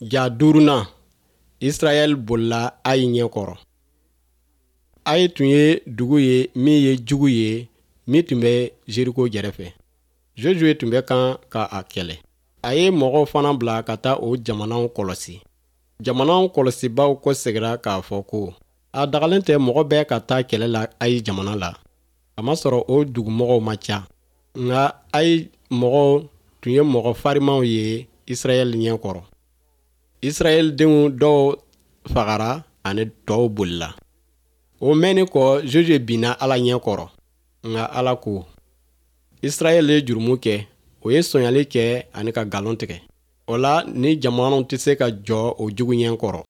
Ja duurunan, Israɛl bolila Ayi ɲɛ kɔrɔ. Ayi tun ye dugu ye min ye jugu ye min tun bɛ Jeriko jɛrɛfɛ. Josue tun bɛ kan ka a kɛlɛ. A ye mɔgɔw fana bila ka taa o jamanaw kɔlɔsi. Jamanaw kɔlɔsibaaw kɔsegira k'a fɔ ko, A dagalen tɛ mɔgɔ bɛɛ ka taa kɛlɛ la Ayi jamana la, kamasɔrɔ o dugumɔgɔw man ca. Nka Ayi mɔgɔw tun ye mɔgɔ farinmaw ye Israɛl ɲɛ kɔrɔ. Israɛl denw dɔw fagara ani tɔw bolila. O mɛnni kɔ, Josue binna Ala ɲɛ kɔrɔ. Nka Ala ko, Israɛl ye jurumu kɛ, o ye sonyali kɛ ani ka nkalon tigɛ. O la, ni jamanaw tɛ se ka jɔ o jugu ɲɛ kɔrɔ.